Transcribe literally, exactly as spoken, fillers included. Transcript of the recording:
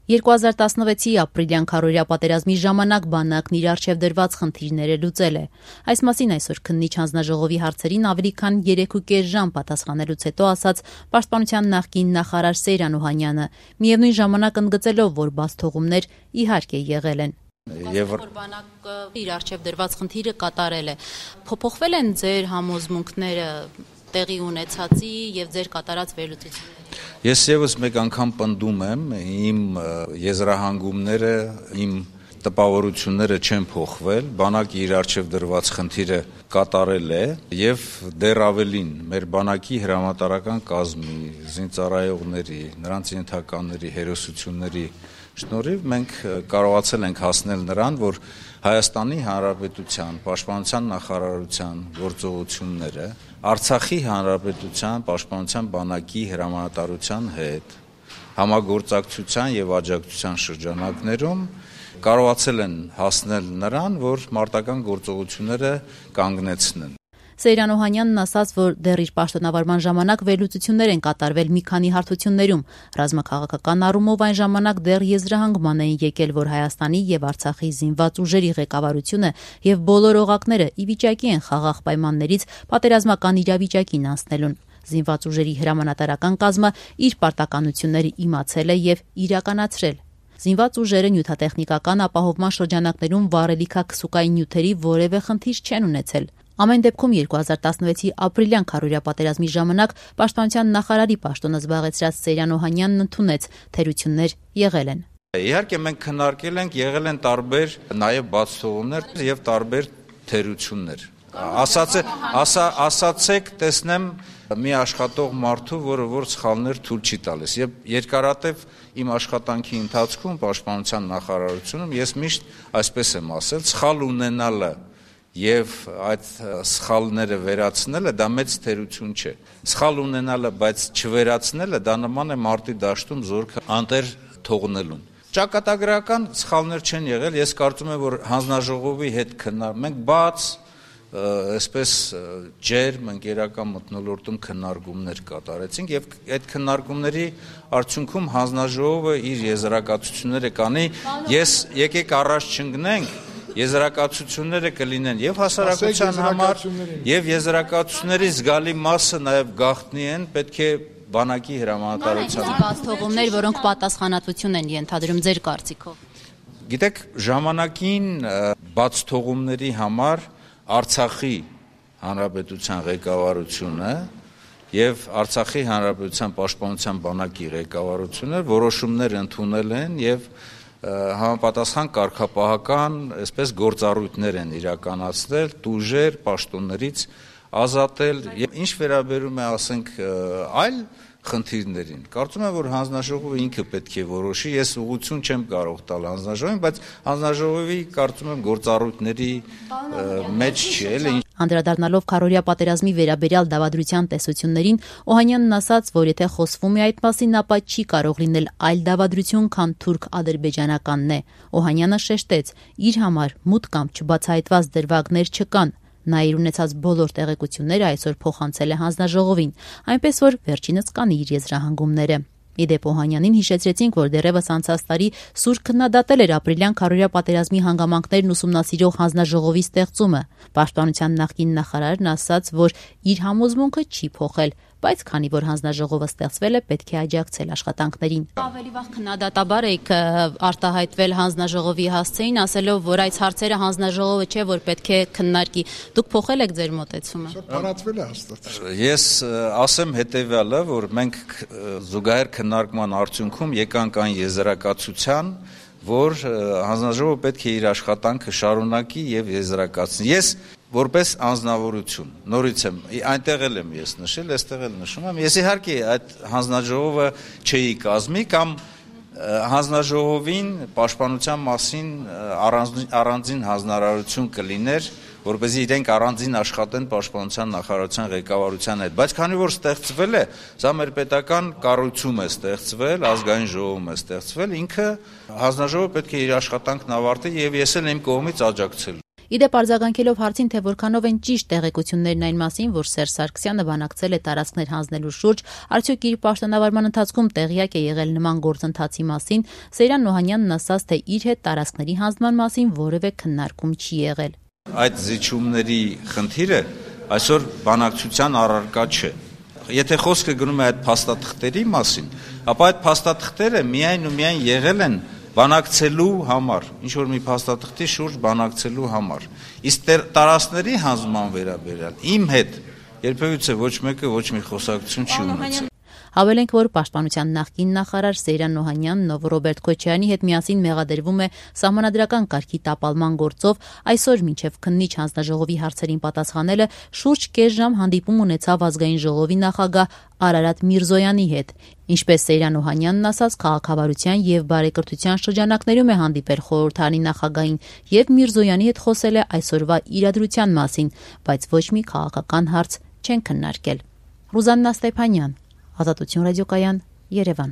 երկու հազար տասնվեցի ապրիլյան քարոզիա պատերազմի ժամանակ բանակն իր առջև դրված խնդիրները լուծել է։ Այս մասին այսօր քննիչ հանձնաժողովի հարցերին ավելի քան երեք ու կես ժամ պատասխանելուց հետո ասաց Պաշտպանության նախկին նախարար Սեյրան Օհանյանը, միևնույն ժամանակ ընդգծելով, որ բացթողումներ իհարկե եղել են։ Եվ բանակը իր առջև դրված խնդիրը կատարել է։ Փոփոխվել են ձեր համոզմունքները տեղի ունեցածի եւ ձեր կատարած վերլուծությունները։ Ես եւս մեկ անգամ պնդում եմ, իմ եզրահանգումները, իմ տպավորությունները չեն փոխվել, բանակի իր առջև դրված խնդիրը կատարել է եւ դեռ ավելին, մեր բանակի հրամանատարական կազմի, զինծառայողների, նրանց ենթականների հերոսությունների շնորհիվ մենք կարողացել ենք հասնել նրան, որ Հայաստանի Հանրապետության Պաշտպանության նախարարության գործողությունները Արցախի Հանրապետության Պաշտպանության բանակի հրամանատարության հետ համագործակցության եւ աջակցության շրջանակներում կարողացել են հասնել նրան, որ մարտական գործողությունները կանգնեցնեն։ Սեյրան Օհանյանն ասաց, որ դեռ իր պաշտոնավարման ժամանակ վերլուծություններ են կատարվել մի քանի հարթություններում։ Ռազմաքաղաքական առումով այն ժամանակ դեռ եզրահանգման էին եկել, որ Հայաստանի եւ Արցախի զինված ուժերի ղեկավարությունը եւ բոլոր օղակները ի վիճակի են խաղաղ պայմաններից պատերազմական իրավիճակին անցնելուն։ Զինված ուժերի հրամանատարական կազմը իր պարտականությունները իմացել է եւ իրականացրել։ Զինված ուժերը նյութատեխնիկական ապահովման շրջանակներում վառելիքաքսուկային նյութերի որևէ խնդիր չեն ունեցել։ Ամեն դեպքում երկու հազար տասնվեցի ապրիլյան քարոզիա պատերազմի ժամանակ Պաշտպանության նախարարի պաշտոնը զբաղեցրած Սեյրան Օհանյանն ընդունեց, թերություններ եղել են։ Իհարկե մենք քննարկել ենք, եղել են տարբեր նաև բացթողումներ եւ տարբեր թերություններ։ Ասացե, ասա, ասացեք, տեսնեմ մի աշխատող մարդու, որը որ սխալներ թույլ չի տալիս։ Եվ երկարատև իմ աշխատանքի ընթացքում Պաշտպանության նախարարությունում ես միշտ այսպես եմ ասել, սխալ ունենալը եւ այդ սխալները վերացնելը դա մեծ թերություն չէ։ Սխալ ունենալը, բայց չվերացնելը դա նման է մարտի դաշտում զորքը անտեր թողնելուն։ Ճակատագրական սխալներ չեն եղել, ես կարծում եմ, որ հանձնաժողովի հետ քննարկում մենք բաց այսպես ջերմ ընկերական մթնոլորտում քննարկումներ կատարեցինք եւ այդ քննարկումների արդյունքում հանձնաժողովը իր եզրակացությունները կանի, ես եկեք առաջ չընկնենք, եզրակացությունները կլինեն եւ հասարակության համար եւ եզրակացությունների զգալի մասը նաեւ գաղտնի են, պետք է բանակի հրամանատարության բացթողումներ, որոնք պատասխանատվություն են ենթադրում ձեր կարծիքով։ Գիտեք, ժամանակին բացթողումների համար Արցախի Հանրապետության ղեկավարությունը եւ Արցախի Հանրապետության Պաշտպանության բանակի ղեկավարությունը որոշումներ ընդունել են եւ համապատասխան կարգապահական, այսպես գործառույթներ են իրականացնել, տուժեր, պաշտոններից ազատել եւ ինչ վերաբերում է, ասենք, այլ խնդիրներին։ Կարծում եմ, որ հանձնաժողովը ինքը պետք է որոշի, ես ուղղություն չեմ կարող տալ հանձնաժողովին, բայց հանձնաժողովի կարծում եմ գործառույթների մեջ չի, էլի։ Անդրադառնալով քարոզիա պատերազմի վերաբերյալ դավադրության տեսություններին, Օհանյանն ասաց, որ եթե խոսվում է այդ մասին, ապա չի կարող լինել այլ դավադրություն, քան թուրք-ադրբեջանականն է։ Օհանյանը շեշտեց, իր համար մուտք կամ չբացահայտված դրվագներ չկան։ Նա իր ունեցած բոլոր տեղեկությունները այսօր փոխանցել է հանձնաժողովին, այնպես որ վերջինս կանի իր եզրահանգումները։ Իդեպ Օհանյանին հիշեցրեցինք, որ դեռևս անցած տարի սուր քննադատել էր ապրիլյան քարոզիա պատերազմի հանգամանքներն ուսումնասիրող հանձնաժողովի ստեղծումը։ Պաշտպանության նախկին նախարարն ասաց, որ իր համոզմունքը չի փոխել, բայց քանի որ հանձնաժողովը ստեղծվել է, պետք է աջակցել աշխատանքներին։ Ավելի վաղ քննադատաբար եք արտահայտվել հանձնաժողովի հասցեին, ասելով, որ այս հարցերը հանձնաժողովը չէ, որ պետք է քննարկի։ Դուք փոխել եք ձեր մոտեցումը։ Տարածվել է հաստատ։ Ես ասեմ հետեւյալը, որ մենք զուգահեռ քննարկման արդյունքում եկանք այն եզրակացության, որ հանձնաժողովը պետք է իր աշխատանքը շարունակի եւ եզրակացնի։ Ես որպես անձնավորություն, նորից եմ, այնտեղ էլ եմ ես նշել, այստեղ էլ նշում եմ, ես իհարկե այդ հանձնաժողովը չէի կազմի կամ հանձնաժողովին պաշտպանության մասին առանձին, առանձին հանձնարարություն կլիներ, որպեսզի իրենք առանձին աշխատեն պաշտպանության նախարարության ղեկավարության հետ, բայց քանի որ ստեղծվել է, սա մեր պետական կառույցում է ստեղծվել, ազգային ժողովում է ստեղծվել, ինքը հանձնաժողովը պետք է իր աշխատանքն ավարտի եւ ես էլ իմ կողմից աջակցել։ Իդեպ արձագանքելով հարցին, թե որքանով են ճիշտ տեղեկություններն այն մասին, որ Սերժ Սարգսյանը բանակցել է տարածքներ հանձնելու շուրջ, արդյոք իր պաշտոնավարման ընթացքում տեղյակ է եղել նման գործընթացի մասին, Սեյրան Օհանյանն ասաց, թե իր հետ տարածքների հանձնման մասին որևէ քննարկում չի եղել։ Այդ զիջումների խնդիրը այսօր բանակցության առարկա չէ։ Եթե խոսքը գնում է այդ փաստաթղթերի մասին, ապա այդ փաստաթղթերը միայն ու միայն եղել են բանակցելու համար, ինչ-որ մի փաստաթղթի շուրջ բանակցելու համար։ Իսկ տարածքների հանձնման վերաբերյալ իմ հետ երբևիցե ոչ մեկը ոչ մի խոսակցություն չի ունեցել։ Հավելենք, որ Պաշտպանության նախկին նախարար Սեյրան Օհանյանն, ով Ռոբերտ Քոչարյանի հետ միասին մեղադրվում է սահմանադրական կարգի տապալման գործով, այսօր մինչև քննիչ հանձնաժողովի հարցերին պատասխանելը շուրջ կես ժամ հանդիպում ունեցավ Ազգային ժողովի նախագահ Արարատ Միրզոյանի հետ։ Ինչպես Սեյրան Օհանյանն ասաց, քաղաքավարության եւ բարեկրթության շրջանակներում է հանդիպել խորհրդարանի նախագահին եւ Միրզոյանի հետ խոսել է այսօրվա իրադրության մասին, բայց ոչ մի քաղաքական հարց չեն քննարկել։ Ռուզաննա Ստեփանյան, Ազատություն ռադիոկայան, Երևան։